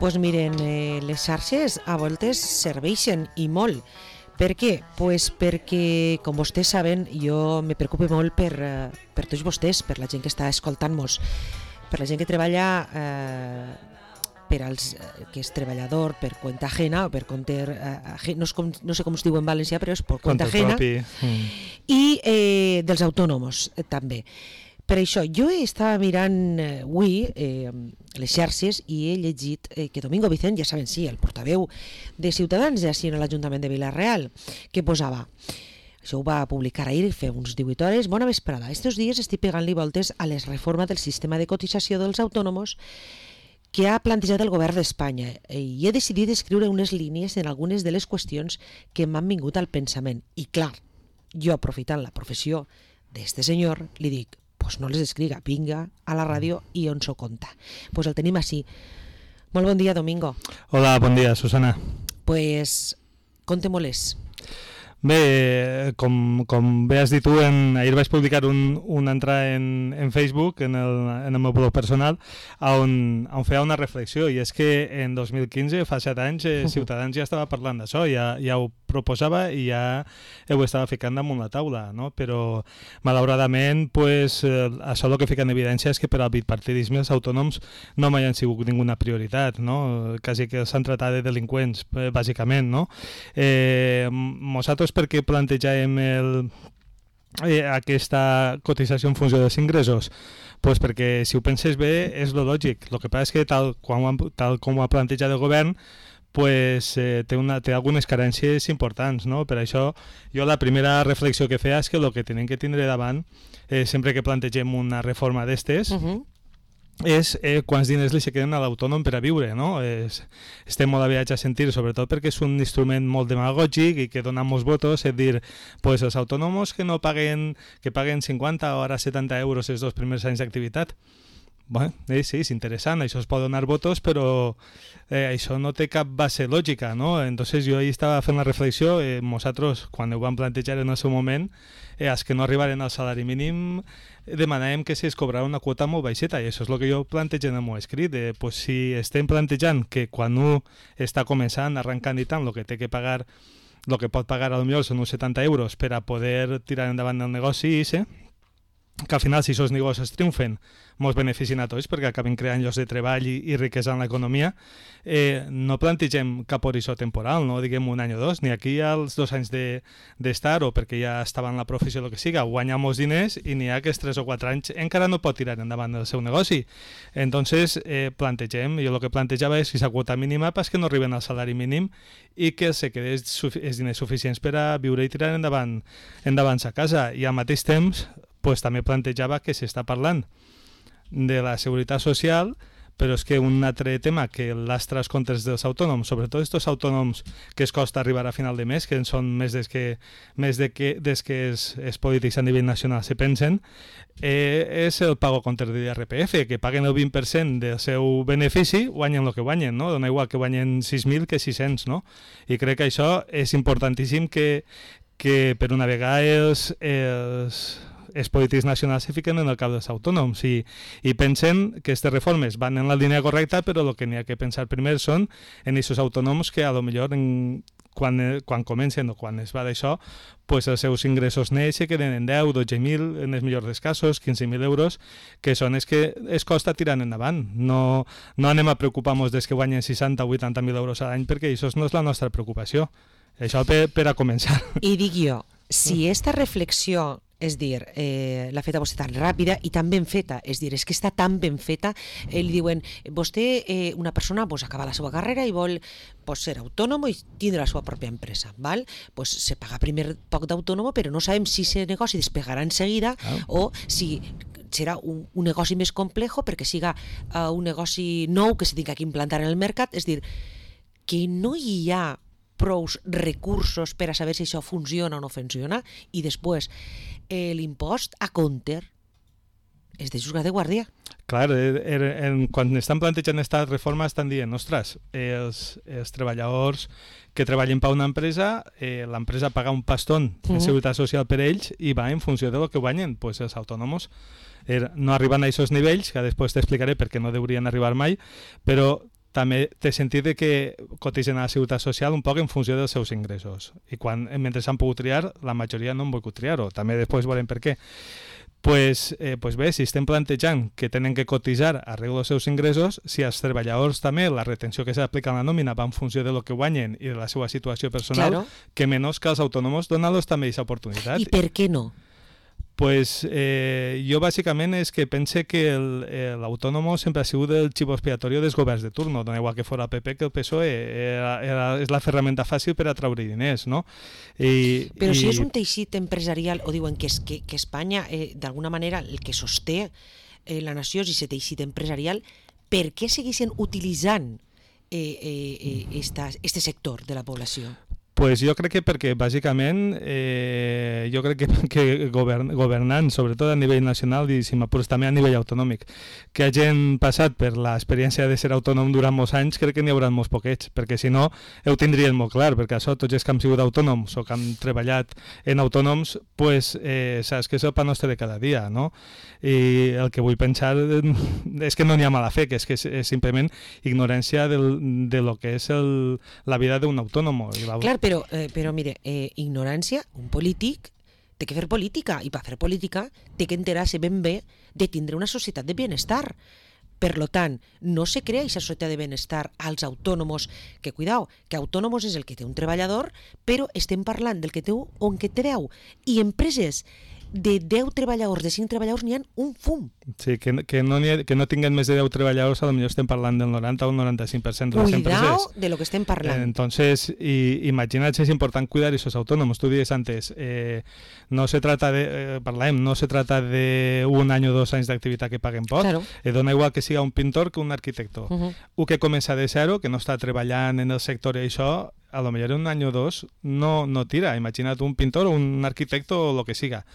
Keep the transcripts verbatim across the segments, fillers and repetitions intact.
Pues miren, eh, les xarxes a voltes serveixen i molt. Per què? Pues perquè, com vostès saben, jo me preocupo molt per, eh, per tots vostès, per la gent que està escoltant-nos, per la gent que treballa, eh, per als eh, que és treballador per cuenta ajena o per compte, eh, no, és com, no sé com es diu en valencià, però és per cuenta ajena, mm. i eh, dels autònoms eh, també. Per això, jo estava mirant eh, avui eh, les xarxes i he llegit eh, que Domingo Vicent, ja saben, sí, el portaveu de Ciutadans de així en l'Ajuntament de Vila-real, que posava, això ho va publicar ahir, fa uns divuit hores, bona vesprada, estos dies estic pegant-li voltes a les reformes del sistema de cotització dels autònoms que ha plantejat el govern d'Espanya i he decidit escriure unes línies en algunes de les qüestions que m'han vingut al pensament. I clar, jo aprofitant la professió d'este senyor, li dic, pues no les escriga, vinga a la ràdio i on s'ho conta. Pues el tenim així. Molt bon dia, Domingo. Hola, bon dia, Susana. Pues conte-mo-les. Bé, com, com bé has dit tu, en, ahir vaig publicar un, una entrada en, en Facebook, en el, en el meu blog personal, on, on feia una reflexió, i és que en dos mil quinze, fa set anys, eh, Ciutadans ja estava parlant d'això, ja, ja ho proposava i ja ho estava ficant damunt la taula, no? Però malauradament pues, eh, això el que fica en evidència és que per al bipartidisme els autònoms no mai han sigut ninguna prioritat, no? Quasi que s'han tratat de delinqüents, eh, bàsicament, no? Eh, nosaltres perquè plantejàvem el, eh, aquesta cotització en funció dels ingressos? Pues perquè si ho penses bé és lo lògic. El que passa és que tal, quan, tal com ho ha plantejat el govern pues, eh, té, una, té algunes carències importants, no? Per això jo la primera reflexió que feia és que el que tenen que tindre davant eh, sempre que plantegem una reforma d'estes uh-huh. és eh, quants diners li se queden a l'autònom per a viure, no? Es, estem molt aviats a sentir, sobretot perquè és un instrument molt demagògic i que dona molts votos, és dir, pues, els autònoms que no paguen, que paguen cinquanta o ara setanta euros els dos primers anys d'activitat. Bueno, eh, sí, és interessant, això es pot donar votos, però eh, això no té cap base lògica, no? Entonces jo ahí estava fent la reflexió, eh, nosaltres, quan ho vam plantejar en el seu moment, eh, els que no arribaren al salari mínim demanàvem que se'ls cobrara una quota molt baixeta, i això és el que jo plantejo en el meu escrit. Eh, pues, si estem plantejant que quan un està començant, arrencant i tant, el que té que pagar, el que pot pagar potser són uns setanta euros per a poder tirar endavant el negoci, eh? Que al final, si aquests negocis triomfen, ens beneficien a tots perquè acaben creant llocs de treball i, i riquesa en l'economia, eh, no plantegem cap horitzó temporal, no diguem un any o dos, ni aquí als dos anys d'estar de, o perquè ja estava en la professió o el que siga, guanyar molts diners i n'hi ha que els tres o quatre anys encara no pot tirar endavant el seu negoci. Entonces, eh, plantegem, jo el que plantejava és aquesta quota mínima pas que no arriben al salari mínim i que se quedin els diners suficients per a viure i tirar endavant, endavant sa casa. I al mateix temps, pues, també plantejava que s'està parlant de la seguretat social, però és que un altre tema que lastra els comptes dels autònoms, sobretot aquests autònoms que es costa arribar a final de mes, que són més des que, més de que, des que els, els polítics a nivell nacional se pensen, eh, és el pago contra de l'I R P F, que paguen el vint per cent del seu benefici, guanyen el que guanyen, no? Dona igual que guanyen sis mil que sis-cents, no? I crec que això és importantíssim que, que per una vegada els... els els polítics nacionals se fiquen en el cap dels autònoms i, i pensen que aquestes reformes van en la línia correcta, però el que n'hi ha que pensar primer són en aquests autònoms que a lo millor en, quan, quan comencen o quan es va d'això, pues els seus ingressos nets se queden en deu, dotze mil, en els millors dels casos, quinze mil euros, que són els que es costa tirant endavant. No, no anem a preocupar-nos des que guanyen seixanta o vuitanta mil euros a l'any, perquè això no és la nostra preocupació. Això per, per a començar. I dic jo, si esta reflexió, és dir, eh, l'ha feta vostè tan ràpida i tan ben feta, és dir, és que està tan ben feta, eh, li diuen, vostè, eh, una persona, pues, acaba la seva carrera i vol pues, ser autònom i tindre la seva pròpia empresa, val? Pues, se paga primer poc d'autònom, però no sabem si aquest negoci despegarà en seguida ah. o si serà un, un negoci més complejo perquè siga uh, un negoci nou que se tingui que implantar en el mercat, és dir, que no hi ha prous recursos per a saber si això funciona o no funciona, i després eh, l'impost a compte és de juzgar de guàrdia. Clar, er, er, en, quan estan plantejant aquesta reforma estan dient, ostres, els, els treballadors que treballen per una empresa, eh, l'empresa paga un pastón en uh-huh. seguretat social per ells i va en funció de lo que guanyen, pues els autònoms er, no arriben a aquests nivells, que després t'explicaré perquè no deurien arribar mai, però també té sentit de que cotitzen a la Seguretat Social un poc en funció dels seus ingressos. I quan, mentre s'han pogut triar, la majoria no han volgut triar-ho. També després veurem per què. Pues, eh, pues bé, si estem plantejant que tenen que cotitzar arreglo dels seus ingressos, si als treballadors també la retenció que s'aplica a la nòmina va en funció de lo que guanyen i de la seva situació personal, Claro. que menys que als autònoms donar-los també aquesta oportunitat. I per què no? Pues eh, jo bàsicament és que pense que el- eh, l'autònom sempre ha sigut el xivo expiatorio dels governs de turno, dona igual que fos el P P que el P S O E, era, era, és la ferramenta fàcil per atraure diners, no? I, Però i, si és un teixit empresarial, o diuen que, és, que, que Espanya, eh, d'alguna manera, el que sosté eh, la nació és aquest teixit empresarial, per què segueixen utilitzant eh, eh, eh, esta, este sector de la població? Pues jo crec que perquè bàsicament eh, jo crec que, que govern, governant, sobretot a nivell nacional i si m'apures també a nivell autonòmic, que hagin passat per l'experiència de ser autònom durant molts anys, crec que n'hi haurà molts poquets, perquè si no ho tindrien molt clar, perquè això tots els que hem sigut autònoms o que han treballat en autònoms, pues, eh, saps que és el pa nostre de cada dia, no? I el que vull pensar és que no n'hi ha mala fe, que és que és, és simplement ignorància del, de lo que és el, la vida d'un autònom. La... Clar, però, eh, però mire, eh, ignorància, un polític té que fer política, i per fer política té que enterar-se ben bé de tindre una societat de benestar. Per lo tant, no se crea aquesta societat de benestar als autònomos, que cuidao, que autònomos és el que té un treballador, però estem parlant del que té un o en que té deu. I empreses de deu treballadors, de cinc treballadors, n'hi ha un fum. Sí, que, que, no ha, que no tinguen més de deu treballadors, a lo millor estem parlant del noranta o el noranta-cinc per cent de les Cuidao empreses. de lo que estem parlant. Eh, entonces, y, imagina't si es important cuidar esos autónomos. Tú dices antes, eh, no se trata de, eh, parlem, no se trata de un any o dos anys d'activitat que paguen poc. Claro. Eh, dona igual que siga un pintor que un arquitecto. Uh -huh. Un que comença de zero, que no està treballant en el sector i això, a lo millor en un any o dos no, no tira. Imagina't un pintor o un arquitecto o lo que siga,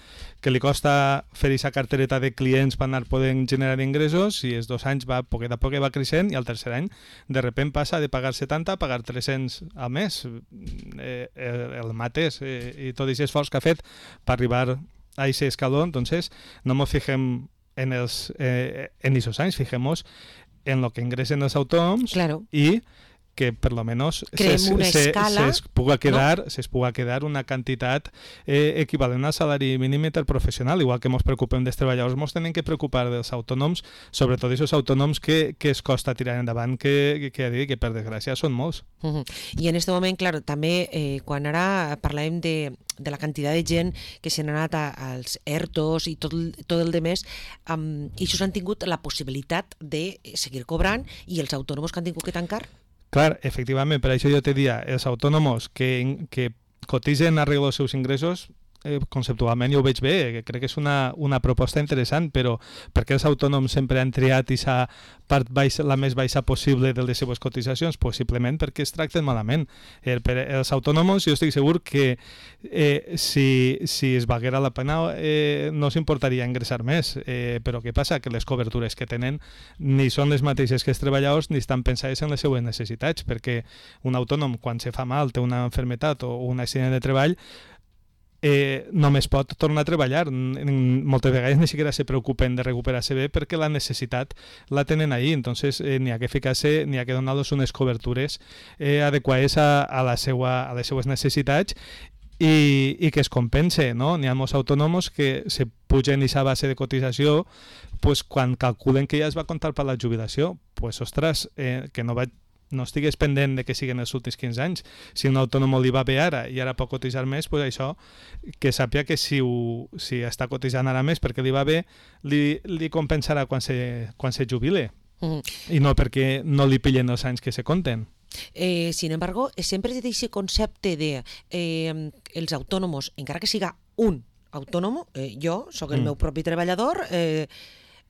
que li costa fer aquesta cartereta de clients per anar podent generar ingressos i els dos anys va, poquet a poquet va creixent i al tercer any de repente passa de pagar setanta a pagar tres-cents al mes. Eh, el, el mateix eh, i tot aquest esforç que ha fet per arribar a aquest escaló, entonces no ens fixem en els eh, en esos anys, fijemos en lo que ingressen els autònoms Claro. i que per lo menos Creem se, una se, escala, se es puga quedar, no? se es puga quedar una quantitat eh, equivalent al salari mínim interprofessional, igual que ens preocupem dels treballadors, ens tenen que preocupar dels autònoms, sobretot aquests autònoms que, que es costa tirar endavant, que, que, que, que per desgràcia són molts. Uh -huh. I en aquest moment, clar, també eh, quan ara parlàvem de, de la quantitat de gent que s'han anat a, als ERTOs i tot, tot el demés, um, i això han tingut la possibilitat de seguir cobrant, i els autònoms que han tingut que tancar? Clar, efectivament, per això jo te dia, els autònoms que, que cotitzen arreglo els seus ingressos, eh, conceptualment jo ho veig bé, que crec que és una, una proposta interessant, però per què els autònoms sempre han triat aquesta part baixa, la més baixa possible de les seves cotitzacions? Pues simplement perquè es tracten malament. Eh, per els autònoms jo estic segur que eh, si, si es valguera la pena eh, no s'importaria ingressar més, eh, però què passa? Que les cobertures que tenen ni són les mateixes que els treballadors ni estan pensades en les seues necessitats, perquè un autònom quan se fa mal, té una malaltia o un accident de treball, Eh, només pot tornar a treballar. Moltes vegades ni siquiera se preocupen de recuperar-se bé perquè la necessitat la tenen ahí, entonces eh, n'hi ha que ficar-se, n'hi ha que donar-los unes cobertures eh, adequades a, a, la seua, a les seues necessitats i, i que es compense, no? N'hi ha molts autònoms que se pugen aquesta base de cotització pues, quan calculen que ja es va comptar per la jubilació, pues ostres, eh, que no vaig no estigués pendent de que siguin els últims quinze anys. Si un autònom li va bé ara i ara pot cotitzar més, pues això, que sàpiga que si, ho, si està cotitzant ara més perquè li va bé, li, li compensarà quan se, quan se jubile. Mm. I no perquè no li pillen els anys que se compten. Eh, sin embargo, sempre té aquest concepte de eh, els autònoms, encara que siga un autònom, eh, jo sóc el mm. meu propi treballador, eh,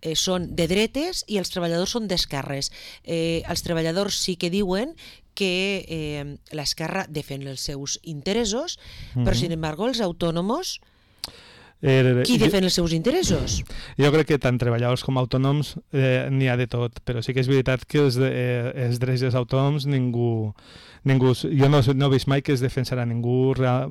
Eh, són de dretes i els treballadors són d'esquerres. Eh, els treballadors sí que diuen que eh, l'esquerra defèn els seus interessos, mm-hmm. però, sin embargo, els autònoms... Er, Qui defen els seus interessos? Jo crec que tant treballadors com autònoms eh, n'hi ha de tot, però sí que és veritat que els, de, eh, els drets dels autònoms ningú, ningú jo no, no he vist mai que es defensarà ningú real,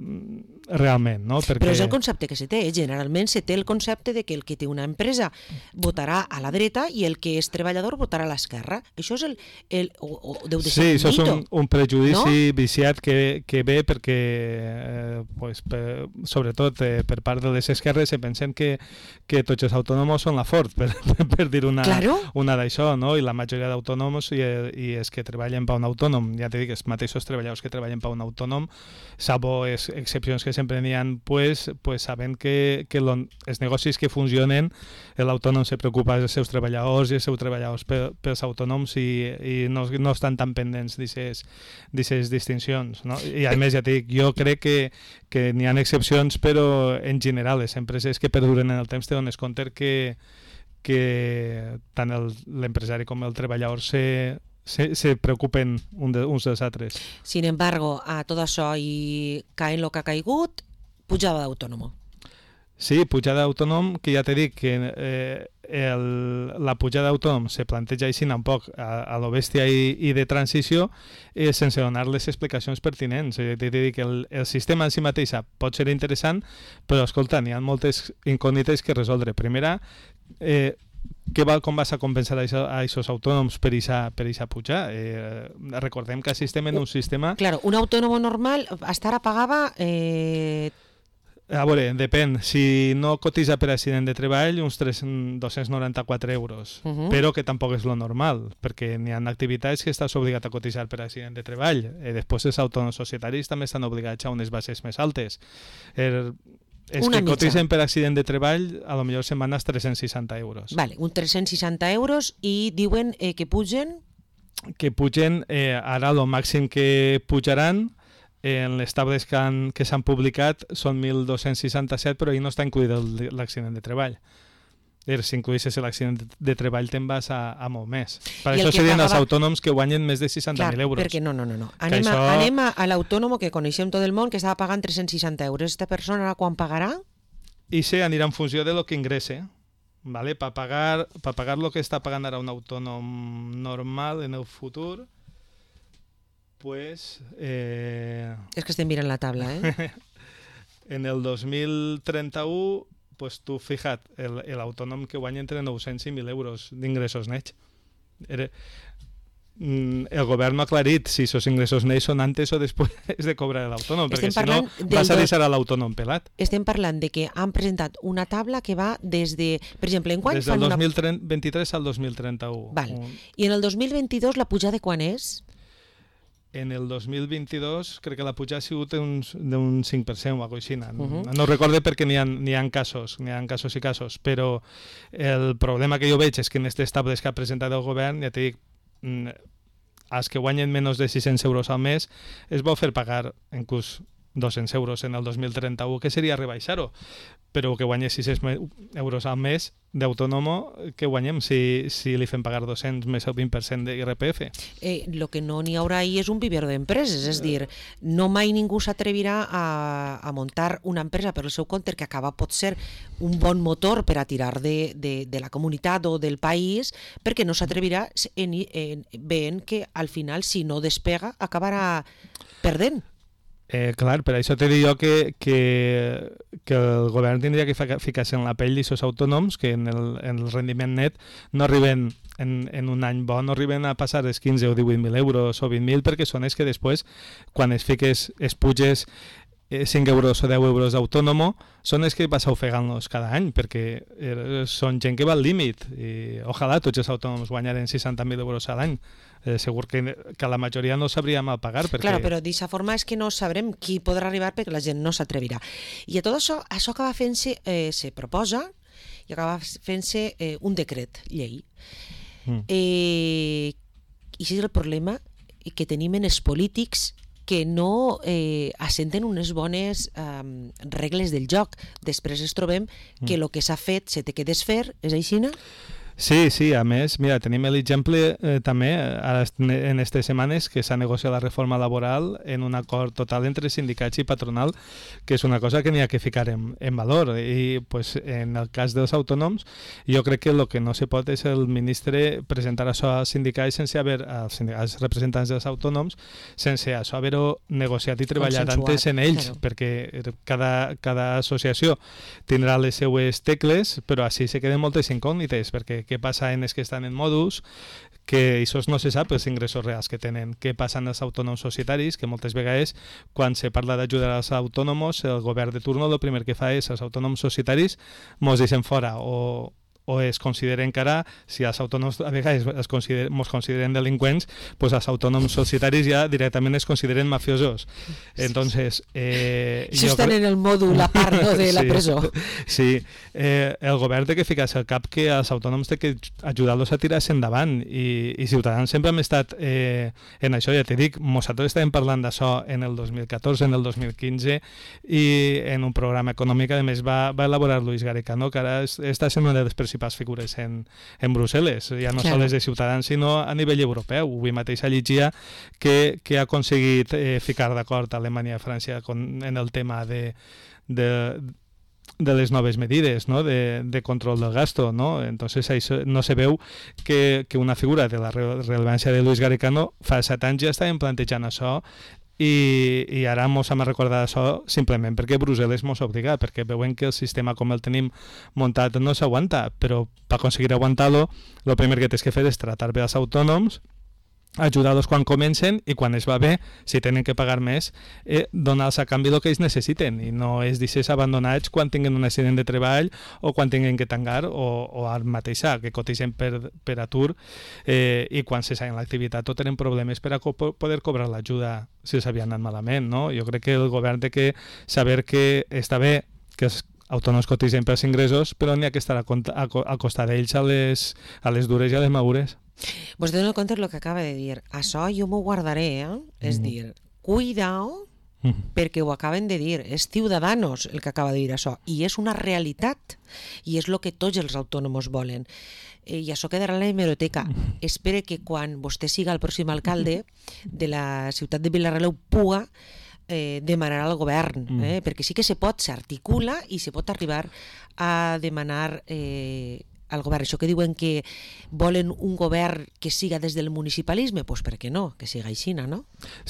realment, no? Perquè... Però és el concepte que se té, generalment se té el concepte de que el que té una empresa votarà a la dreta i el que és treballador votarà a l'esquerra. Això és el... el o, o deu de ser sí, un això és mito, un, un prejudici no? viciat que, que ve perquè, eh, pues, per, sobretot eh, per part de les esquerres, se pensen que, que tots els autònoms són la Ford, per, per dir una, claro. una d'això, no? I la majoria d'autònoms i, i els que treballen per un autònom, ja t'he dit, els mateixos treballadors que treballen per un autònom, salvo les excepcions que sempre n'hi ha, pues, pues saben que, que lo, els negocis que funcionen, l'autònom se preocupa dels seus treballadors i els seus treballadors per, pels autònoms i, i no, no estan tan pendents d'aquestes distincions, no? I a més, ja t'he dit, jo crec que, que n'hi ha excepcions, però en general les empreses que perduren en el temps te dones compte que, que tant l'empresari com el treballador se, se, se preocupen un de, uns dels altres. Sin embargo, a tot això i caent el que ha caigut, pujada d'autònom. Sí, pujada d'autònom, que ja t'he dit que eh, el, la pujada d'autònom se planteja així un poc a, a lo bèstia i, i de transició eh, sense donar les explicacions pertinents. Eh, t'he dit que el, el sistema en si mateixa pot ser interessant, però escolta, n'hi ha moltes incògnites que resoldre. Primera, eh, què va, com vas a compensar a aquests autònoms per aquesta per puja? Eh, recordem que assistem en un sistema... Claro, un autònom normal hasta ara pagava... Eh... A veure, depèn. Si no cotitza per accident de treball, uns dos-cents noranta-quatre euros, uh -huh. però que tampoc és lo normal, perquè n'hi ha activitats que estàs obligat a cotitzar per accident de treball. Eh, després els autònoms societaris també estan obligats a unes bases més altes. Er, els Una que mitja. cotitzen per accident de treball, a lo millor se'n van als tres-cents seixanta euros. Vale, un tres-cents seixanta euros i diuen eh, que pugen... Que pugen, eh, ara el màxim que pujaran en les tables que, han, que s'han publicat són mil dos-cents seixanta-set, però ahí no està incluït l'accident de treball. Si incluïssis l'accident de treball te'n vas a, a molt més. Per I això serien pagava... els autònoms que guanyen més de seixanta mil euros. Perquè no, no, no. no. Anem, això... a, anem a, a l'autònom que coneixem tot el món, que estava pagant tres-cents seixanta euros. Aquesta persona ara quan pagarà? I se anirà en funció de lo que ingresse. ¿Vale? Per pagar, pa pagar lo que està pagant ara un autònom normal en el futur, pues... Eh... És que estem mirant la tabla, eh? En el dos mil trenta-u, pues tu fija't, l'autònom que guanya entre nou-cents i mil euros d'ingressos nets. Era... El govern no ha aclarit si aquests ingressos nets són antes o després de cobrar l'autònom, perquè si no vas a deixar a l'autònom pelat. Estem parlant de que han presentat una tabla que va des de... Per exemple, en quan des del fan dos mil una... vint-i-tres al dos mil trenta-u. Val. Un... I en el dos mil vint-i-dos la pujada de quan és? En el dos mil vint-i-dos crec que la puja ha sigut d'un cinc per cent o alguna cosa així. No, uh -huh. no recordo perquè n'hi ha, n'hi ha casos, n'hi ha casos i casos, però el problema que jo veig és que en aquestes tables que ha presentat el govern, ja t'he dit, els que guanyen menys de sis-cents euros al mes es vol fer pagar inclús dos-cents euros en el dos mil trenta-u, que seria rebaixar-ho, però que guanyi sis-cents euros al mes d'autònomo, que guanyem si, si li fem pagar dos-cents més el vint per cent d'I R P F. Eh, lo que no n'hi haurà ahí és un vivero d'empreses, és dir, no mai ningú s'atrevirà a, a muntar una empresa per el seu compte que acaba pot ser un bon motor per a tirar de, de, de la comunitat o del país, perquè no s'atrevirà en, en, veient que al final si no despega acabarà perdent. Eh, clar, per això t'he dit jo que, que, que el govern tindria que ficar-se en la pell d'aquests autònoms que en el, en el rendiment net no arriben en, en un any bo, no arriben a passar els quinze o divuit mil euros o vint mil, perquè són els que després, quan es fiques, es puges cinc euros o deu euros d'autònomo, són els que vas ofegant-los cada any, perquè són gent que va al límit i ojalà tots els autònoms guanyaren seixanta mil euros a l'any. Eh, segur que, que la majoria no sabria mal pagar. Perquè... Claro, però d'aquesta forma és que no sabrem qui podrà arribar perquè la gent no s'atrevirà. I a tot això, això acaba fent-se, eh, se proposa i acaba fent-se eh, un decret llei. Mm. Eh, I això és el problema que tenim en els polítics que no eh, assenten unes bones eh, regles del joc. Després ens trobem que el que s'ha fet se té que desfer, és així, no? Sí, sí, a més, mira, tenim l'exemple eh, també ara en aquestes setmanes que s'ha negociat la reforma laboral en un acord total entre sindicats i patronal, que és una cosa que n'hi ha que ficar en, en valor. I pues, en el cas dels autònoms, jo crec que el que no se pot és el ministre presentar això als sindicats sense haver, als, als representants dels autònoms, sense això haver-ho negociat i treballat antes en ells, claro. Perquè cada, cada associació tindrà les seues tecles, però així se queden moltes incògnites, perquè què passa en els que estan en modus, que això no se sap els ingressos reals que tenen, què passa en els autònoms societaris, que moltes vegades quan se parla d'ajudar als autònoms, el govern de turno el primer que fa és els autònoms societaris mos deixen fora o o es consideren encara, si els autònoms a vegades es consideren, ens consideren delinqüents, pues els autònoms societaris ja directament es consideren mafiosos. Entonces, eh, si estan en el mòdul a part no, de la sí, presó. Sí, eh, el govern té que ficar-se al cap que els autònoms té que ajudar-los a tirar-se endavant i, i Ciutadans sempre hem estat eh, en això, ja t'he dit, nosaltres estàvem parlant d'això en el dos mil catorze, en el dos mil quinze i en un programa econòmic, a més va, va elaborar Luis Garicano, que ara està sent una de les principals figures en, en Brussel·les, ja no claro. Sols de Ciutadans, sinó a nivell europeu. Avui mateix llegia que, que ha aconseguit eh, ficar d'acord a Alemanya i França con, en el tema de, de, de les noves medides, ¿no? de, de control del gasto, ¿no? Entonces això no se veu que, que una figura de la rellevància de Luis Garicano fa set anys ja estàvem plantejant això I, i ara mos hem recordat això simplement perquè Brussel·les mos obliga, perquè veuen que el sistema com el tenim muntat no s'aguanta, però per aconseguir aguantar-lo, el primer que tens que fer és tratar bé els autònoms, ajudar-los quan comencen i quan es va bé, si tenen que pagar més, eh, donar-los a canvi el que ells necessiten i no és deixar abandonats quan tinguin un accident de treball o quan tinguin que tancar o, o ara mateix que cotitzen per, per atur eh, i quan se saben l'activitat o tenen problemes per a co poder cobrar l'ajuda si s'havien anat malament. No? Jo crec que el govern té que saber que està bé que els autònoms cotitzen pels ingressos, però n'hi ha que estar a, a, a costar d'ells a, les, a les dures i a les madures. Vos dono compte el que acaba de dir. Això jo m'ho guardaré, eh? És mm. dir, cuidao, mm. perquè ho acaben de dir. És Ciudadanos el que acaba de dir això. I és una realitat. I és el que tots els autònoms volen. I això quedarà en la hemeroteca. Mm. Espere que quan vostè siga el pròxim alcalde de la ciutat de Vila-real ho puga eh, demanar al govern. Mm. Eh? Perquè sí que se pot, s'articula i se pot arribar a demanar... Eh, al govern. Això que diuen que volen un govern que siga des del municipalisme, doncs per què no? Que siga així, no?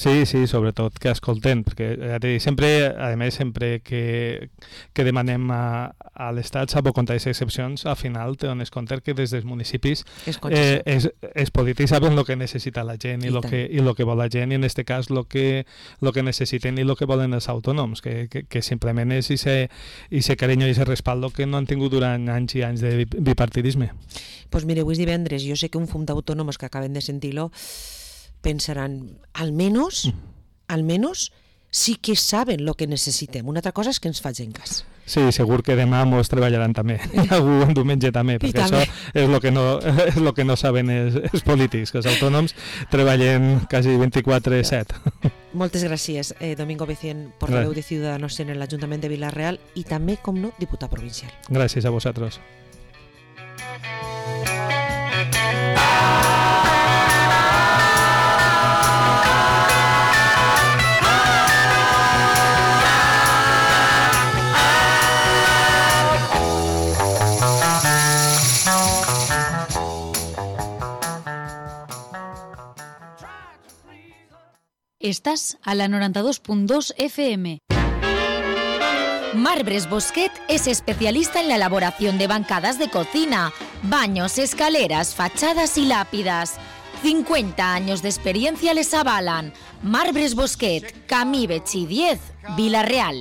Sí, sí, sobretot que escolten, perquè sempre, a més, sempre que, que demanem a, a l'Estat, salvo contra les excepcions, al final te dones compte que des dels municipis eh, es, es polítics saben el que necessita la gent i el que, i lo que vol la gent, i en aquest cas el que, lo que necessiten i el que volen els autònoms, que, que, que simplement és ese carinyo i ese respaldo que no han tingut durant anys i anys de bipartidisme. Pues mire, avui és divendres, jo sé que un fum d'autònoms que acaben de sentir-lo pensaran, almenys, almenys sí que saben el que necessitem. Una altra cosa és que ens facin cas. Sí, segur que demà mos treballaran també, algú un diumenge també, perquè això és el que no, és lo que no saben els, els polítics, que els autònoms treballen quasi vint-i-quatre set. Moltes gràcies, eh, Domingo Becien, portaveu de Ciudadanos en l'Ajuntament de Vila-real i també, com no, diputat provincial. Gràcies a vosaltres. Estás a la noventa y dos punto dos F M. Marbres Bosquet es especialista en la elaboración de bancadas de cocina, baños, escaleras, fachadas y lápidas. cincuenta años de experiencia les avalan. Marbres Bosquet, Camí Betxí diez, Vila-real.